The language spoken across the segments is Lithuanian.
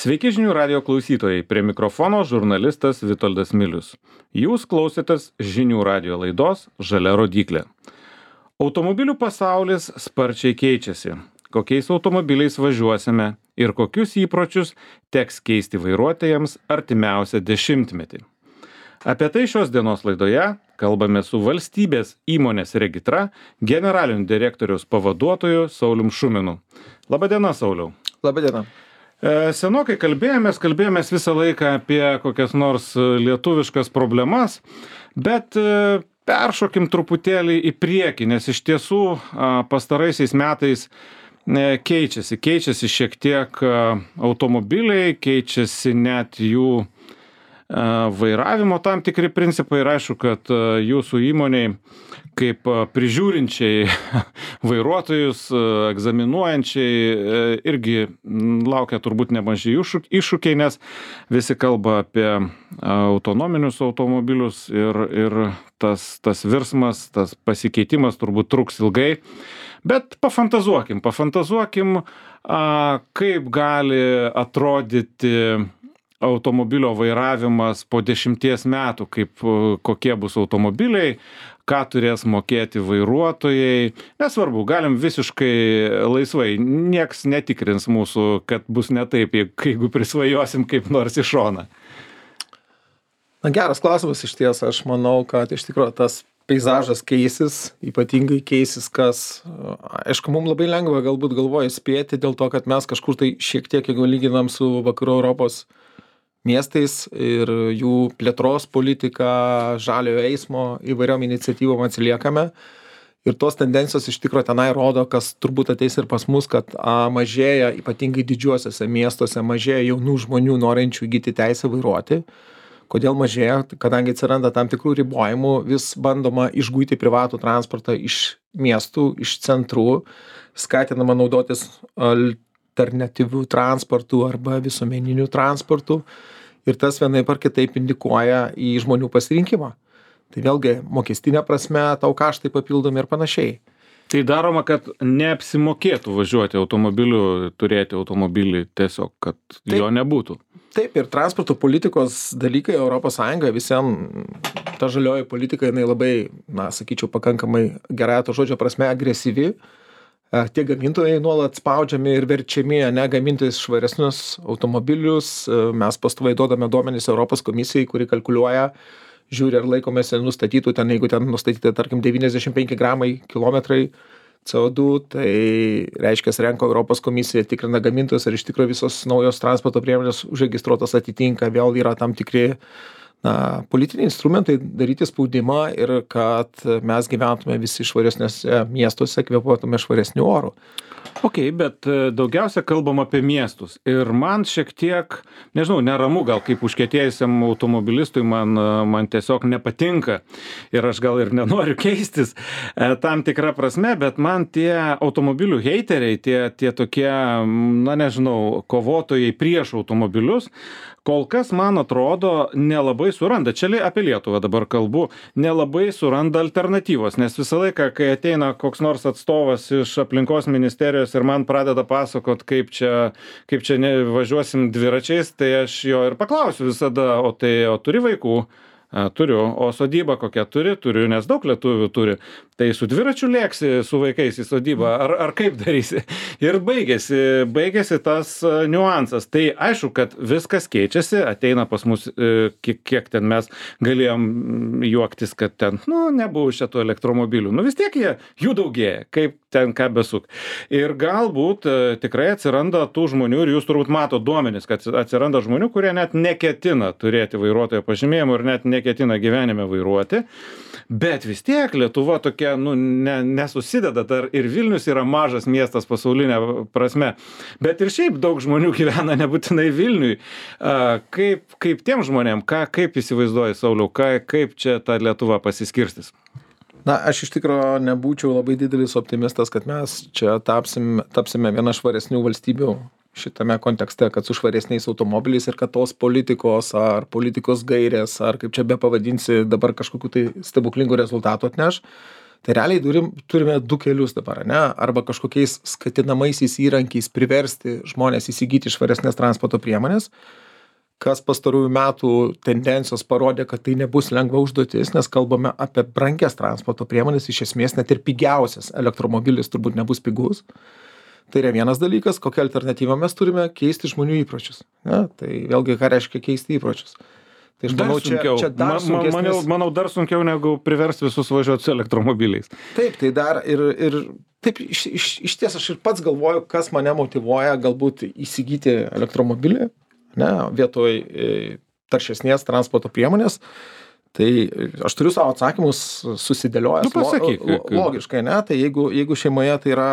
Sveiki žinių radio klausytojai, prie mikrofono žurnalistas Vitoldas Milius. Jūs klausėtės žinių radio laidos Žalia rodyklė. Automobilių pasaulis sparčiai keičiasi. Kokiais automobiliais važiuosime ir kokius įpročius teks keisti vairuotojams artimiausią dešimtmetį. Apie tai šios dienos laidoje kalbame su valstybės įmonės Regitra generaliniu direktoriaus pavaduotoju Saulium Šuminu. Labadiena, Sauliau. Labadiena. Senokai kalbėjomės visą laiką apie kokias nors lietuviškas problemas, bet peršokim truputėlį į priekį, nes iš tiesų pastaraisiais metais keičiasi šiek tiek automobiliai, keičiasi net jų vairavimo tam tikri principai ir aišku, kad jūsų įmoniai kaip prižiūrinčiai vairuotojus, egzaminuojančiai irgi laukia turbūt nemaži iššūkiai, nes visi kalba apie autonominius automobilius ir tas virsmas, tas pasikeitimas turbūt truks ilgai. Bet pafantazuokim, kaip gali atrodyti automobilio vairavimas po 10 metų, kokie bus automobiliai, ką turės mokėti vairuotojai. Nesvarbu, galim visiškai laisvai, nieks netikrins mūsų, kad bus ne taip, jeigu prisvajosim kaip nors į šoną. Na, geras klausimas iš ties. Aš manau, kad iš tikrųjų tas peizažas keisis, ypatingai keisis, kas, aišku, mums labai lengva galbūt galvoje spėti dėl to, kad mes kažkur tai šiek tiek, jeigu lyginam su vakarų Europos miestais ir jų plėtros politika, žaliojo eismo įvairiom iniciatyvom atsiliekame. Ir tos tendencijos iš tikrųjų tenai rodo, kas turbūt ateis ir pas mus, kad mažėja, ypatingai didžiuosiuose miestuose, mažėja jaunų žmonių norinčių įgyti teisę vairuoti. Kodėl mažėja? Kadangi atsiranda tam tikrų ribojimų, vis bandoma išguiti privatų transportą iš miestų, iš centrų, skatinama naudotis alternatyvių transportų arba visuomeninių transportų. Ir tas vienaip ar kitaip indikuoja į žmonių pasirinkimą. Tai vėlgi mokestinė prasme, tau kaštai papildomi ir panašiai. Tai daroma, kad neapsimokėtų važiuoti automobiliu, turėti automobilį tiesiog, kad taip, jo nebūtų. Taip, ir transporto politikos dalykai ES visiems, ta žalioji politika, jinai labai, sakyčiau, pakankamai gerąja to žodžio prasme agresyvi. Tie gamintojai nuolat spaudžiami ir verčiami gaminti švaresnius automobilius. Mes pastoviai duodame duomenis Europos komisijai, kuri kalkuliuoja, žiūri ar laikomės nustatytų, jeigu ten nustatyti, tarkim, 95 gramai kilometrai CO2, tai reiškia, renka Europos komisija, tikrina gamintojus, ar iš tikrųjų visos naujos transporto priemonės užregistruotos atitinka, vėl yra tam tikri politiniai instrumentai daryti spaudimą ir kad mes gyventume visi švaresniuose miestuose, kvėpuotume švaresniu oru. Ok, bet daugiausia kalbam apie miestus. Ir man šiek tiek, nežinau, neramu, gal kaip užkietėjusiam automobilistui man tiesiog nepatinka. Ir aš gal ir nenoriu keistis tam tikrą prasme, bet man tie automobilių heiteriai, tie tokie, nežinau, kovotojai prieš automobilius, kol kas, man atrodo, nelabai suranda, čia apie Lietuvą dabar kalbu, nelabai suranda alternatyvos, nes visą laiką, kai ateina koks nors atstovas iš aplinkos ministerijos ir man pradeda pasakot, kaip čia važiuosim dviračiais, tai aš jo ir paklausiu visada, o turi vaikų? Turiu, o sodybą kokią turiu, nes daug lietuvių turi. Tai su dviračiu lėksi su vaikais į sodybą, ar kaip darysi? Ir baigėsi tas niuansas. Tai aišku, kad viskas keičiasi, ateina pas mus, kiek ten mes galėjom juoktis, kad ten, nebuvo šitų elektromobilių. Vis tiek jų daugėja, kaip ten ką besuk. Ir galbūt tikrai atsiranda tų žmonių, ir jūs turbūt mato duomenis, kad atsiranda žmonių, kurie net neketina turėti vairuotojo pažymėjimo ir net neketina gyvenime vairuoti, bet vis tiek Lietuva tokia, nesusideda, dar ir Vilnius yra mažas miestas pasaulinė prasme, bet ir šiaip daug žmonių gyvena nebūtinai Vilniui. Kaip tiem žmonėm, kaip įsivaizduoji, Sauliau, kaip čia ta Lietuva pasiskirstys? Aš iš tikrųjų nebūčiau labai didelis optimistas, kad mes čia tapsime viena švaresnių valstybių šitame kontekste, kad su švaresniais automobiliais ir kad tos politikos ar politikos gairės, ar kaip čia be pavadinsi, dabar kažkokių tai stebuklingų rezultatų atneš. Tai realiai turime du kelius dabar, ne? Arba kažkokiais skatinamaisiais įrankiais priversti žmonės įsigyti švaresnės transporto priemonės, kas pastarųjų metų tendencijos parodė, kad tai nebus lengva užduotis, nes kalbame apie brangias transporto priemonės, iš esmės net ir pigiausias elektromobilis turbūt nebus pigus. Tai yra vienas dalykas, kokią alternatyvą mes turime keisti žmonių įpročius. Ne? Tai vėlgi, ką reiškia keisti įpročius. Tai aš manau, čia dar sunkesnis... Manau, dar sunkiau negu priversti visus važiuoti su elektromobiliais. Taip, tai dar ir taip, iš ties aš ir pats galvoju, kas mane motyvuoja galbūt įsigyti elektromobilį, ne, vietoj taršesnės transporto priemonės. Tai aš turiu savo atsakymus susidėliojęs logiškai, ne? Tai jeigu šeimoje tai yra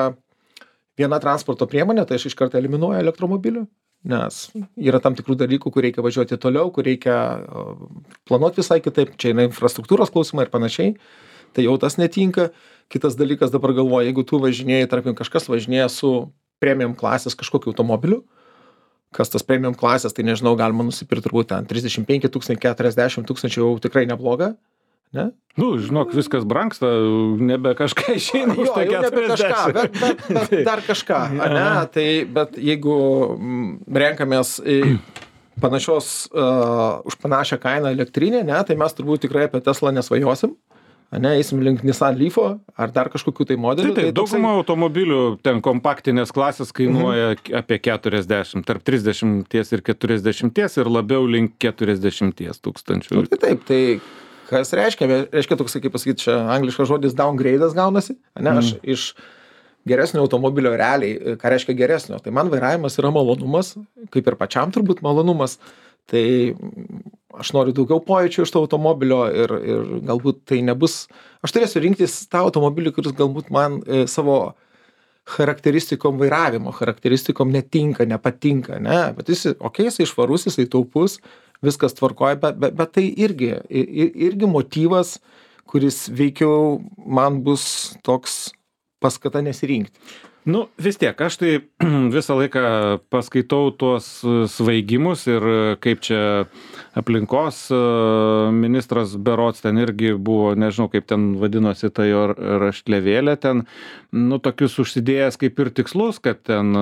viena transporto priemonė, tai aš iš karto eliminuoju elektromobilių, nes yra tam tikrų dalykų, kur reikia važiuoti toliau, kur reikia planuoti visai kitaip, čia yra infrastruktūros klausimai ir panašiai, tai jau tas netinka. Kitas dalykas dabar galvoju, jeigu tu važinėjai, tarkim, kažkas važinėja su premium klasės kažkokiu automobiliu, kas tas premium klasės, tai nežinau, galima nusipirkti turbūt ten 35 000, 40 000 jau tikrai nebloga, ne? Nu, žinok, viskas brangsta, nebe kažką išeina už tai 40. Bet dar kažką, ne? Tai, bet jeigu renkamės panašios, už panašią kainą elektrinę, ne, tai mes turbūt tikrai apie Tesla nesvajosim. Ne, eisim link Nissan Leafo ar dar kažkokių tai modelių. Tai dauguma automobilių ten kompaktinės klasės kainuoja apie 40, tarp 30 ir 40 ir labiau link 40 tūkstančių. Tai taip, tai kas reiškia? Reiškia toks, kaip pasakyti, čia angliškas žodis downgrade'as gaunasi, ne, aš iš geresnio automobilio realiai, ką reiškia geresnio, tai man vairavimas yra malonumas, kaip ir pačiam turbūt malonumas, tai aš noriu daugiau pojūčių iš to automobilio ir galbūt tai nebus, aš turėsiu rinktis tą automobilį, kuris galbūt man savo charakteristikom vairavimo, charakteristikom netinka, nepatinka, ne, bet jisai švarus, jisai taupus, viskas tvarkoja, bet tai irgi motyvas, kuris veikiau man bus toks paskata nesirinkti. Nu, vis tiek, aš tai visą laiką paskaitau tuos svaigimus ir kaip čia aplinkos ministras berods ten irgi buvo, nežinau kaip ten vadinosi ta jo raštlevėlė ten, nu, tokius užsidėjęs kaip ir tikslus, kad ten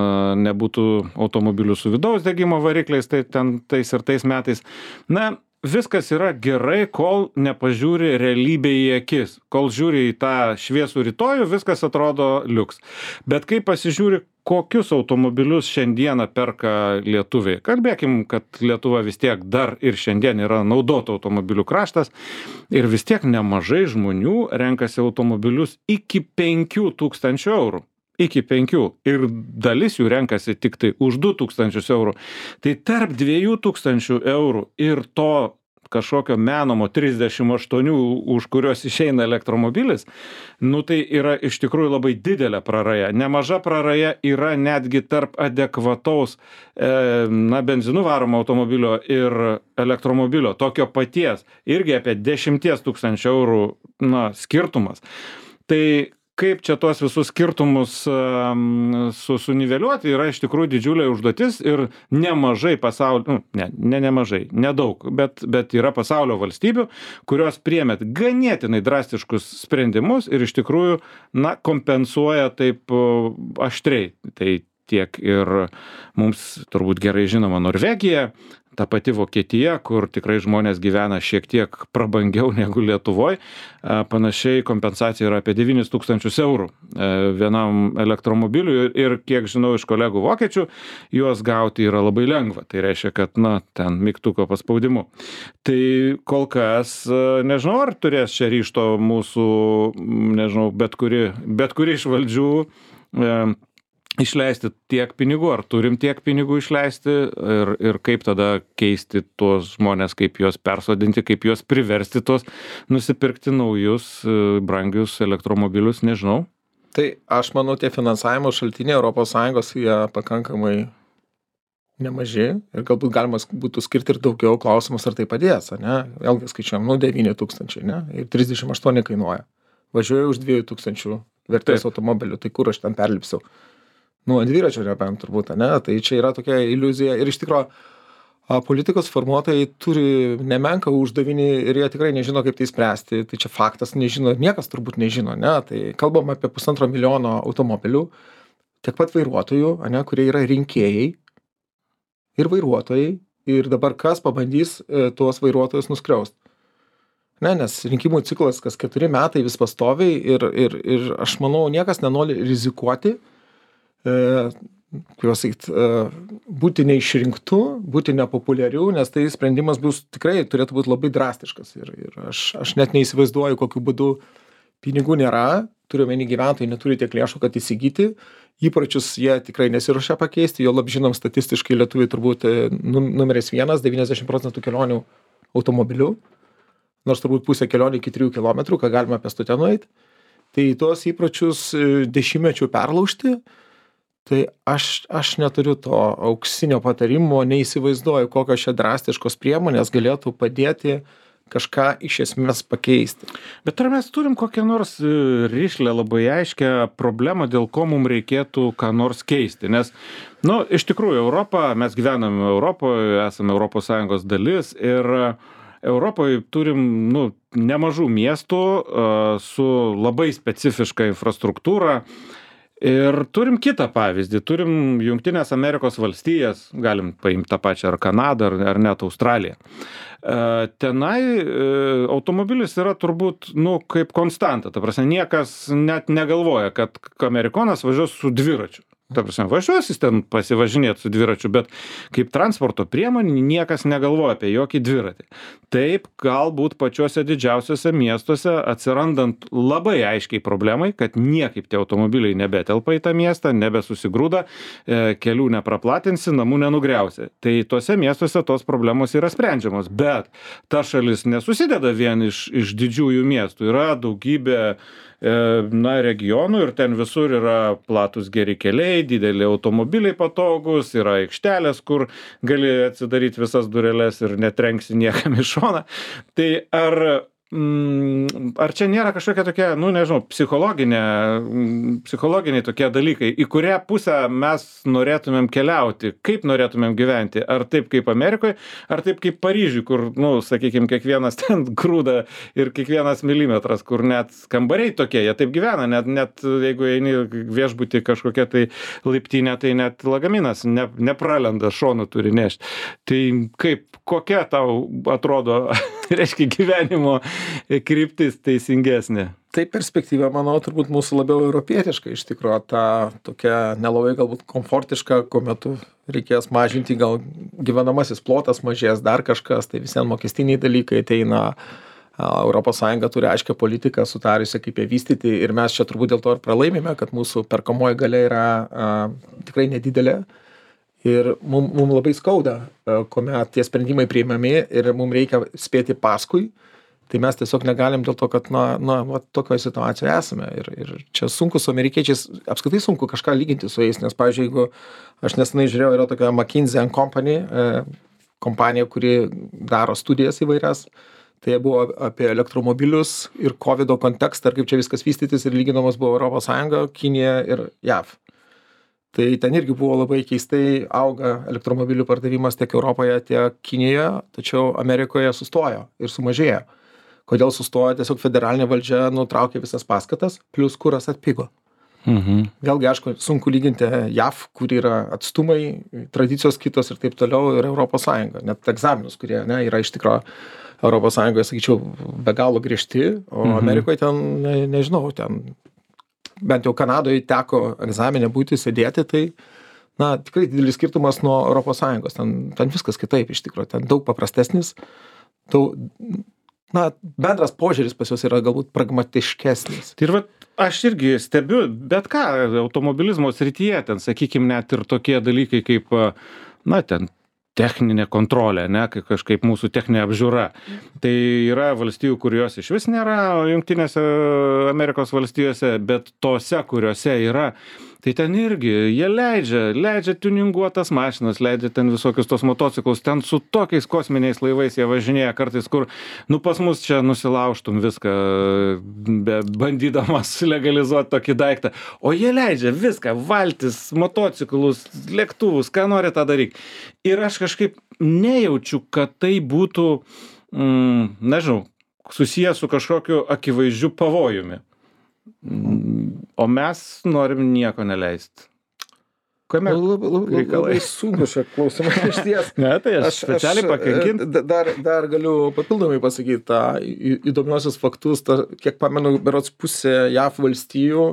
nebūtų automobilių su vidaus degimo varikliais, tai ten tais ir tais metais. Na, viskas yra gerai, kol nepažiūri realybę į akis. Kol žiūri į tą šviesų rytojų, viskas atrodo liuks. Bet kai pasižiūri, kokius automobilius šiandieną perka lietuviai. Kalbėkim, kad Lietuva vis tiek dar ir šiandien yra naudotų automobilių kraštas ir vis tiek nemažai žmonių renkasi automobilius iki 5 000 eurų. Iki 5 ir dalis jų renkasi tik tai už 2000 eurų. Tai tarp 2000 eurų ir to kažkokio menamo 38, už kurios išeina elektromobilis, nu tai yra iš tikrųjų labai didelė praraja. Nemaža praraja yra netgi tarp adekvataus benzinu varomo automobilio ir elektromobilio, tokio paties, irgi apie 10 000 eurų skirtumas. Tai kaip čia tuos visus skirtumus suniveliuoti yra iš tikrųjų didžiulė užduotis ir nemažai pasaulio, nemažai, nedaug, bet yra pasaulio valstybių, kurios priėmė ganėtinai drastiškus sprendimus ir iš tikrųjų, kompensuoja taip aštriai. Tai tiek ir mums turbūt gerai žinoma Norvegija, ta pati Vokietija, kur tikrai žmonės gyvena šiek tiek prabangiau negu Lietuvoje, panašiai kompensacija yra apie 9 000 eurų vienam elektromobiliui ir kiek žinau iš kolegų vokiečių, juos gauti yra labai lengva. Tai reiškia, kad ten mygtuko paspaudimu. Tai kol kas, nežinau, ar turės čia ryžto mūsų, nežinau, bet kuri iš valdžių išleisti tiek pinigų, ar turim tiek pinigų išleisti ir kaip tada keisti tuos žmonės, kaip juos persodinti, kaip juos priversti tuos nusipirkti naujus, brangius elektromobilius, nežinau. Tai aš manau, tie finansavimo šaltiniai ES jie pakankamai nemaži ir galbūt galima būtų skirti ir daugiau, klausimus ar tai padės, ne? Vėlgi skaičiuojam, 9 000, ne? Ir 38 kainuoja. Važiuoju už 2000 vertės automobilių, tai kur aš ten perlipsiu? Ant dviračio nebent turbūt, ne? Tai čia yra tokia iliuzija ir iš tikro politikos formuotojai turi nemenką uždavinį ir jie tikrai nežino, kaip tai spręsti. Tai čia faktas, nežino, niekas turbūt nežino, ne? Tai kalbam apie 1,5 milijono automobilių, tiek pat vairuotojų, ne, kurie yra rinkėjai ir vairuotojai. Ir dabar kas pabandys tuos vairuotojus nuskriaust? Ne, nes rinkimų ciklas kas 4 metai vis pastoviai ir aš manau, niekas nenori rizikuoti, kaip sakyt, būti neišrinktu, būti nepopuliariu, nes tai sprendimas bus tikrai turėtų būti labai drastiškas. Ir aš net neįsivaizduoju, kokiu būdu pinigų nėra, turiu omeny gyventojai neturi tiek lėšų, kad įsigyti. Įpročius jie tikrai nesiruošia pakeisti, jo lab žinom statistiškai lietuviai turbūt numeris 1, 90% kelionių automobiliu, nors turbūt pusę kelionių iki 3 kilometrų, ką galima pėstute nueiti. Tai tuos įpročius dešimtmečių perlaužti, tai aš neturiu to auksinio patarimo, neįsivaizduoju, kokios čia drastiškos priemonės galėtų padėti kažką iš esmės pakeisti. Bet ar mes turim kokią nors rišlę labai aiškę problemą, dėl ko mums reikėtų ką nors keisti? Nes, iš tikrųjų, mes gyvename Europoje, esame ES dalis ir Europoje turim, nemažų miestų su labai specifiška infrastruktūra. Ir turim kitą pavyzdį, turim Jungtinės Amerikos valstijas, galim paimti tą pačią ar Kanadą, ar net Australiją. Tenai automobilis yra turbūt, kaip konstanta, ta prasme, niekas net negalvoja, kad amerikonas važiuos su dviračiu. Ta prasme, važiuos jis ten pasivažinėti su dviračiu, bet kaip transporto priemonė niekas negalvoja apie jokį dviratį. Taip, galbūt pačiuose didžiausiuose miestuose atsirandant labai aiškiai problemai, kad niekaip tie automobiliai nebetelpa į tą miestą, nebesusigrūda, kelių nepraplatinsi, namų nenugriausi. Tai tuose miestuose tos problemos yra sprendžiamos, bet ta šalis nesusideda vien iš didžiųjų miestų, yra daugybė regionų ir ten visur yra platus geri keliai, dideli automobiliai patogus, yra aikštelės, kur gali atsidaryti visas dureles ir netrenksi niekam į šoną. Tai ar čia nėra kažkokia tokia, nežinau, psichologiniai tokie dalykai, į kurią pusę mes norėtumėm keliauti, kaip norėtumėm gyventi, ar taip kaip Amerikoje, ar taip kaip Paryžiui, kur, sakykime, kiekvienas ten grūda ir kiekvienas milimetras, kur net kambariai tokie, jie taip gyvena, net jeigu eini viešbutį kažkokia tai laiptinė, tai net lagaminas nepralenda, šonu turi nešti. Tai kokia tau atrodo, reiškia, gyvenimo kryptis teisingesnė? Tai perspektyva, manau, turbūt mūsų labiau europietiška, iš tikrųjų, ta tokia nelabai galbūt komfortiška, kuomet reikės mažinti, gal gyvenamasis plotas mažės, dar kažkas, tai visiems mokestiniai dalykai ateina. ES turi aiškią politiką sutariusi, kaip ją vystyti ir mes čia turbūt dėl to ir pralaimime, kad mūsų perkamoji galia yra tikrai nedidelė. Ir mums labai skauda, kuomet tie sprendimai priimami ir mums reikia spėti paskui, tai mes tiesiog negalim dėl to, kad tokioje situacijoje esame. Ir čia sunku su amerikiečiais, apskritai sunku kažką lyginti su jais, nes, pavyzdžiui, jeigu aš nesenai žiūrėjau, yra tokia McKinsey & Company kompanija, kuri daro studijas įvairias, tai buvo apie elektromobilius ir COVID kontekstą, ir kaip čia viskas vystytis, ir lyginamas buvo ES, Kinija ir JAV. Tai ten irgi buvo labai keistai auga elektromobilių pardavimas tiek Europoje, tiek Kinijoje, tačiau Amerikoje sustojo ir sumažėjo. Kodėl sustojo? Tiesiog federalinė valdžia nutraukė visas paskatas, plus kuras atpigo. Vėlgi, aišku, sunku lyginti JAV, kur yra atstumai, tradicijos kitos ir taip toliau, ir ES. Net egzaminus, kurie yra iš tikrųjų ES, sakyčiau, be galo griežti, o Amerikoje ten, nežinau, ten bent jau Kanadoje teko egzaminę būti, sėdėti, tai tikrai didelis skirtumas nuo ES. Ten viskas kitaip, iš tikrųjų, ten daug paprastesnis, bendras požiūris pas juos yra galbūt pragmatiškesnis. Tai ir aš irgi stebiu, bet ką, automobilizmo srityje, ten, sakykime, net ir tokie dalykai kaip, ten techninė kontrolė, kažkaip mūsų techninė apžiūra. Tai yra valstijų, kurios iš vis nėra Jungtinėse Amerikos valstijose, bet tose, kuriuose yra, Tai ten irgi jie leidžia tuninguotas mašinas, leidžia ten visokius tos motociklus, ten su tokiais kosminiais laivais jie važinėja kartais, kur, nu, pas mus čia nusilaužtum viską, bandydamas legalizuoti tokį daiktą. O jie leidžia viską, valtis, motociklus, lėktuvus, ką nori tą daryk. Ir aš kažkaip nejaučiu, kad tai būtų, nežinau, susijęs su kažkokiu akivaizdžiu pavojumi. O mes norim nieko neleisti. Kame Labai sunku šią klausimą iš ties. Ne, tai aš specialiai pakankint. Dar galiu papildomai pasakyti tą įdomiosius faktus, kiek pamenu, berods pusė JAV valstijų,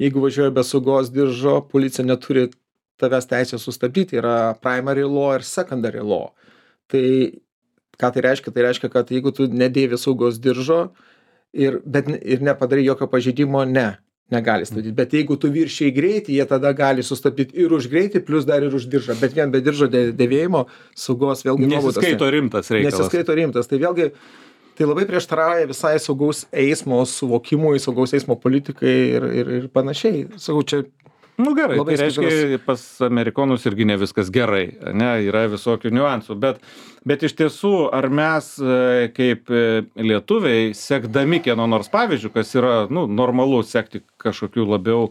jeigu važiuoja be saugos diržo, policija neturi tavęs teisės sustabdyti, yra primary law ir secondary law. Tai ką tai reiškia? Tai reiškia, kad jeigu tu nedėvi saugos diržo ir nepadarai jokio pažeidimo, negali stabdyti. Bet jeigu tu viršiai greitį, jie tada gali sustabdyti ir už greitį, plus dar ir už diržą. Bet vien be diržo dėvėjimo saugos vėlgi nuobaudos. Nesiskaito rimtas reikalas. Nesiskaito rimtas. Tai vėlgi, tai labai prieštarauja visai saugaus eismo suvokimui, saugaus eismo politikai ir panašiai. Sakau, čia nu gerai, tai reiškia, pas amerikonus irgi ne viskas gerai, ne, yra visokių niuansų, bet iš tiesų, ar mes kaip lietuviai, sekdami kieno nors pavyzdžių, kas yra, nu, normalu sekti kažkokių labiau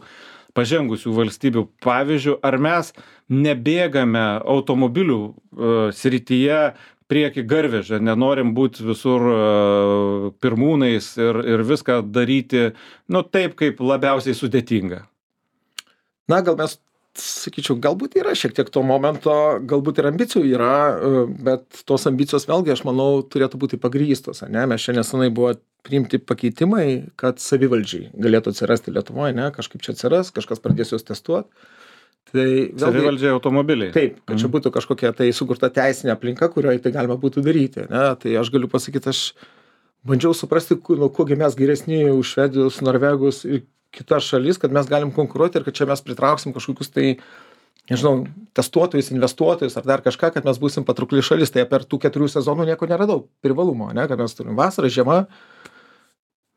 pažengusių valstybių pavyzdžių, ar mes nebėgame automobilių srityje prieki garvežę, nenorim būti visur pirmūnais ir viską daryti, nu, taip, kaip labiausiai sudėtinga. Na, gal mes, sakyčiau, galbūt yra šiek tiek to momento, galbūt ir ambicijų yra, bet tos ambicijos vėlgi, aš manau, turėtų būti pagrįstos, ne? Mes čia nesenai buvo priimti pakeitimai, kad savivaldžiai galėtų atsirasti Lietuvoje, ne? Kažkaip čia atsiras, kažkas pradės juos testuoti. Tai vėlgi, savivaldžiai automobiliai. Taip, kad čia būtų kažkokia tai sukurta teisinė aplinka, kurioje tai galima būtų daryti, ne? Tai aš galiu pasakyti, aš bandžiau suprasti, nuo kogi mes geresni už švedus, norvegus ir kitas šalis, kad mes galim konkuruoti ir kad čia mes pritrauksim kažkokius tai, nežinau, testuotojus, investuotojus ar dar kažką, kad mes būsim patraukli šalis. Tai per tų 4 sezonų nieko neradau privalumo, ne? Kad mes turim vasarą, žiemą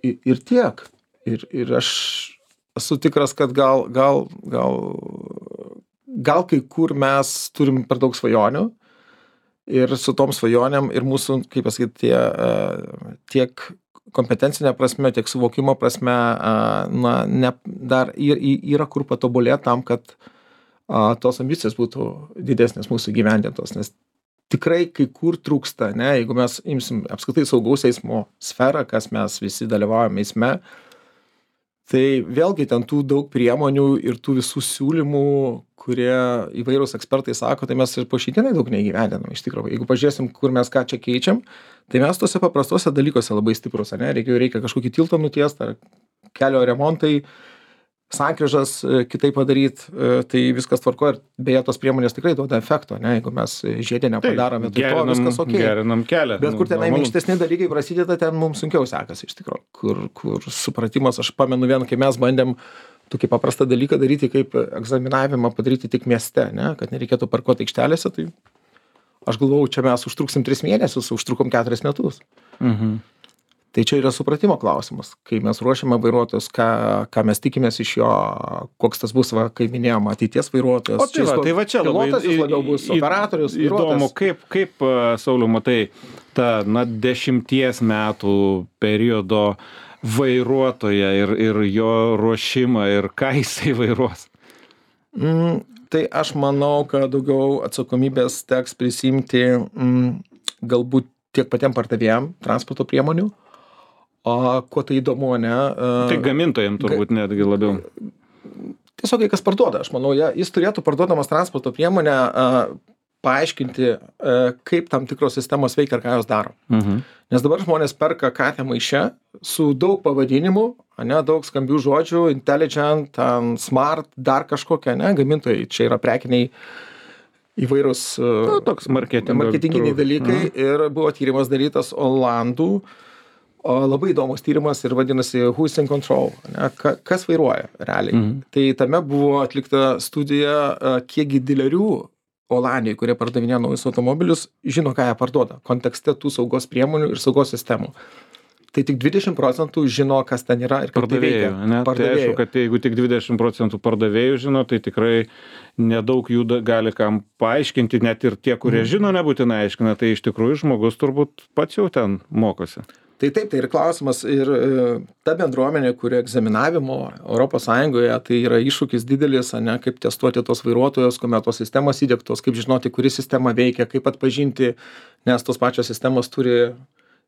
ir tiek. Ir aš esu tikras, kad gal kai kur mes turim per daug svajonių ir su tom svajonėm ir mūsų, kaip pasakyti, tiek kompetencinė prasme, tiek suvokimo prasme, dar yra kur patobulėti tam, kad tos ambicijos būtų didesnės mūsų gyvendintos, nes tikrai kai kur trūksta, ne, jeigu mes imsim apskritai saugaus eismo sferą, kas mes visi dalyvaujame eisme, tai vėlgi ten tų daug priemonių ir tų visų siūlymų, kurie įvairūs ekspertai sako, tai mes ir po šiandienai daug neįgyvendinam iš tikrųjų. Jeigu pažiūrėsim, kur mes ką čia keičiam, tai mes tose paprastose dalykuose labai stiprus, ne? Reikia kažkokį tiltą nutiest ar kelio remontai, sankryžas kitaip padaryti, tai viskas tvarko ir beje tos priemonės tikrai duoda efekto, ne? Jeigu mes žiedinę padarome, tai to viskas ok. Gerinam kelią. Bet kur tenai minkštesni dalykai prasideda, ten mums sunkiau sekasi iš tikrųjų, kur supratimas, aš pamenu vieną, kai mes bandėm tokį paprastą dalyką daryti, kaip egzaminavimą padaryti tik mieste, ne? Kad nereikėtų parkuoti aikštelėse, tai aš galvojau, čia mes užtruksim 3 mėnesius, užtrukom 4 metus. Mhm. Tai čia yra supratimo klausimas, kai mes ruošiame vairuotojus, ką mes tikimės iš jo, koks tas bus, kaip minėjom, ateities vairuotojas. O tai va čia pilotas jis labiau bus, operatorius, įdomu, kaip Sauliau, matai, tą 10 metų periodo vairuotoją ir jo ruošimą ir ką jisai vairuos? Tai aš manau, kad daugiau atsakomybės teks prisimti galbūt tiek patiem pardavėjam transporto priemonių. O kuo tai įdomu, ne? Tai gamintojam turbūt netgi labiau. Tiesiog kas parduoda, aš manau, jis turėtų parduodamas transporto priemonę paaiškinti, kaip tam tikros sistemos veikia ir ką jos daro. Nes dabar žmonės perka katę maiše su daug pavadinimų, ne, daug skambių žodžių, intelligent, smart, dar kažkokia, ne, gamintojai, čia yra prekiniai įvairūs toks marketinginiai dalykai ir buvo tyrimas darytas Olandų, labai įdomus tyrimas ir vadinasi Who's in Control, ne, kas vairuoja realiai. Tai tame buvo atlikta studija, kiekgi dilerių Olandijai, kurie pardavinėjo naujus automobilius, žino, ką jie parduoda kontekste tų saugos priemonių ir saugos sistemų. tai tik 20% žino, kas ten yra ir kaip tai veikia. Tai aišku, kad jeigu tik 20% pardavėjų žino, tai tikrai nedaug jų gali kam paaiškinti, net ir tie, kurie žino, nebūtinai aiškina, tai iš tikrųjų žmogus turbūt pats jau ten mokosi. Tai taip, tai ir klausimas, ir ta bendruomenė, kuri egzaminavimo ES, tai yra iššūkis didelis, ne, kaip testuoti tos vairuotojus, kuomet tos sistemos įdiegtos, kaip žinoti, kuri sistema veikia, kaip atpažinti, nes tos pačios sistemos turi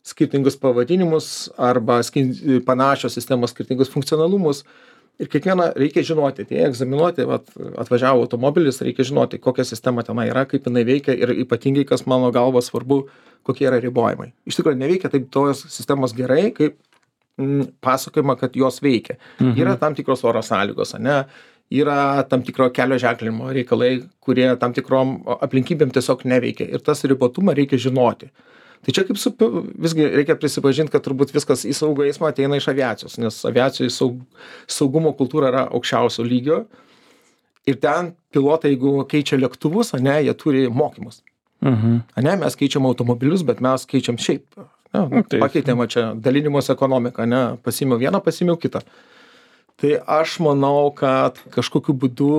skirtingus pavadinimus arba panašios sistemos skirtingus funkcionalumus. Ir kiekvieną reikia žinoti, tai egzaminuoti, atvažiavo automobilis, reikia žinoti, kokia sistema tenai yra, kaip jinai veikia ir ypatingai, kas mano galva svarbu, kokie yra ribojimai. Iš tikrųjų, neveikia taip tos sistemos gerai, kaip pasakojama, kad jos veikia. Yra tam tikros oro sąlygos, ne? Yra tam tikro kelio ženklinimo reikalai, kurie tam tikrom aplinkybėm tiesiog neveikia. Ir tas ribotumą reikia žinoti. Tai čia kaip visgi reikia prisipažinti, kad turbūt viskas į saugų eismą ateina iš aviacijos, nes aviacijos saugumo kultūra yra aukščiausio lygio. Ir ten pilotai, jeigu keičia lėktuvus, ne, jie turi mokymus. Ne, mes keičiam automobilius, bet mes keičiam šiaip. Ne, pakeitėm čia dalinimos ekonomiką, ne, pasimiau vieną, pasimiau kitą. Tai aš manau, kad kažkokiu būdu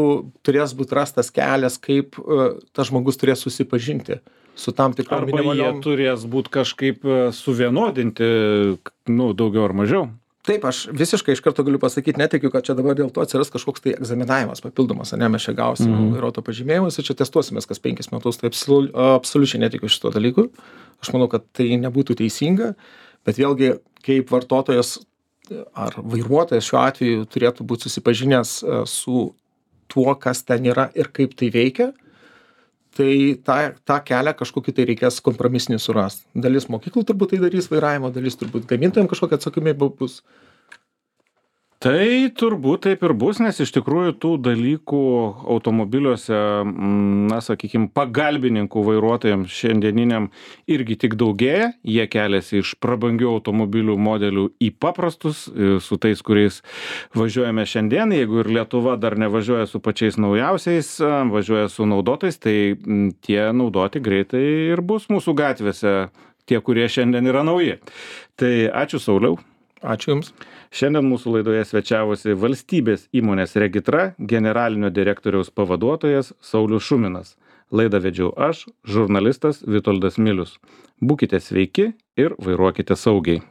turės būti rastas kelias, kaip tas žmogus turės susipažinti su tam tikrom minimaliom. Arba jie turės būti kažkaip suvienodinti, daugiau ar mažiau. Taip, aš visiškai iš karto galiu pasakyti, netikiu, kad čia dabar dėl to atsiras kažkoks tai egzaminavimas papildomas, ne, mes čia gausim vairuotojo pažymėjimus ir čia testuosimės kas 5 metus, tai absoliučiai netikiu šito dalyku. Aš manau, kad tai nebūtų teisinga, bet vėlgi, kaip vartotojas ar vairuotojas šiuo atveju turėtų būti susipažinęs su tuo, kas ten yra ir kaip tai veikia, tai tą kelią kažkokį tai reikės kompromisinį surasti. Dalis mokyklų turbūt tai darys vairavimo, dalis turbūt gamintojams kažkokia atsakomybė bus. Tai turbūt taip ir bus, nes iš tikrųjų tų dalykų automobiliuose, sakykime, pagalbininkų vairuotojams šiandieniniam irgi tik daugėja. Jie keliasi iš prabangių automobilių modelių į paprastus, su tais, kuriais važiuojame šiandien. Jeigu ir Lietuva dar nevažiuoja su pačiais naujausiais, važiuoja su naudotais, tai tie naudoti greitai ir bus mūsų gatvėse, tie, kurie šiandien yra nauji. Tai ačiū, Sauliau. Ačiū Jums. Šiandien mūsų laidoje svečiavosi valstybės įmonės Regitra generalinio direktoriaus pavaduotojas Saulius Šuminas. Laidą vedžiau aš, žurnalistas Vitoldas Milius. Būkite sveiki ir vairuokite saugiai.